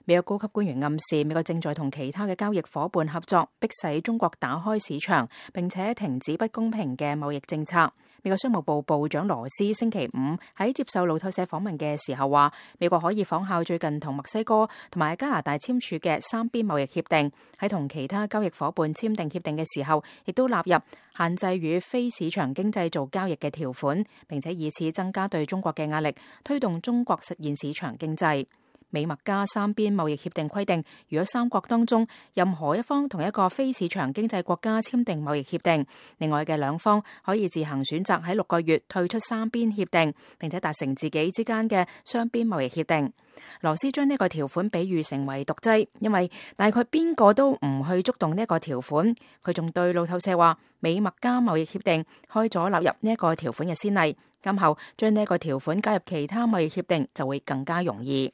美國高級官員暗示，美國正在同其他嘅交易夥伴合作，迫使中國打開市場，並且停止不公平嘅貿易政策。美國商務部部長羅斯星期五喺接受路透社訪問嘅時候話，美國可以仿效最近同墨西哥同埋加拿大簽署嘅三邊貿易協定，喺同其他交易夥伴簽訂協定嘅時候，亦都納入限制與非市場經濟做交易嘅條款，並且以此增加對中國嘅壓力，推動中國實現市場經濟。美墨加三邊貿易協定規定，如果三國當中任何一方同一個非市場經濟國家簽訂貿易協定，另外嘅兩方可以自行選擇喺6個月退出三邊協定，並且達成自己之間嘅雙邊貿易協定。羅斯將呢個條款比喻成為毒劑，因為大概邊個都唔去觸動呢個條款。佢仲對路透社話，美墨加貿易協定開咗納入呢個條款嘅先例，今後將呢個條款加入其他貿易協定就會更加容易。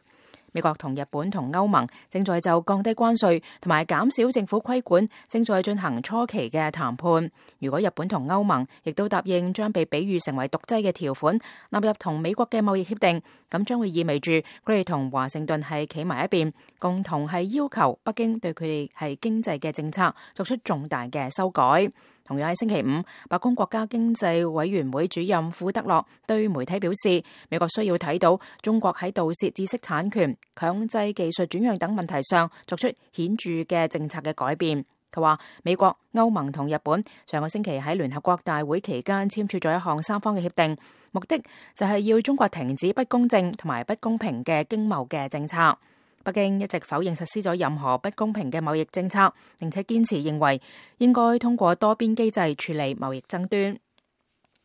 美國同日本同歐盟正在就降低關稅同埋減少政府規管正在進行初期嘅談判。如果日本同歐盟亦都答應將被比喻成為毒劑嘅條款納入同美國嘅貿易協定，咁將會意味住佢哋同華盛頓係企埋一邊，共同係要求北京對佢哋係經濟嘅政策作出重大嘅修改。同樣喺星期五，白宮國家經濟委員會主任庫德洛對媒體表示，美國需要睇到中國喺盜竊知識產權、強制技術轉讓等問題上作出顯著嘅政策嘅改變。佢話美國、歐盟同日本上個星期喺聯合國大會期間簽署咗一項三方嘅協定，目的就係要中國停止不公正同埋不公平嘅經貿嘅政策。北京一直否認實施咗任何不公平嘅貿易政策，並且堅持認為應該通過多邊機制處理貿易爭端。